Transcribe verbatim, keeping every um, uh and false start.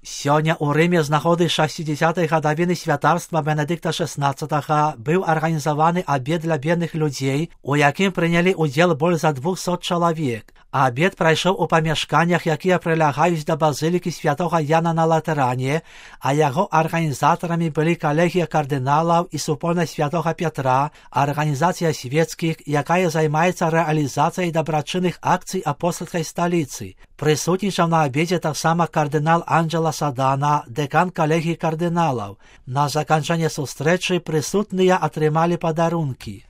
Сёння ў Рыме з нагоды шэсцідзесятай гадавіны святарства Бенедыкта шэснаццатага быў арганізаваны абед для бедных людзей, у якім прынялі ўдзел больш за двухсот чалавек. Абед прайшоў у памяшканнях, якія прылягаюць да базылікі святога Яна на Латэране, а яго арганізатарамі былі калегія кардыналаў і супольнасць святога Пятра, арганізацыя свецкіх, якая займаецца рэалізацыяй дабрачынных акцый апостальскай сталіцы. Прысутнічаў на абедзе таксама кардынал Анджела Садана, дэкан калегіі кардыналаў. На заканчэнне сустрэчы прысутныя атрымалі падарункі.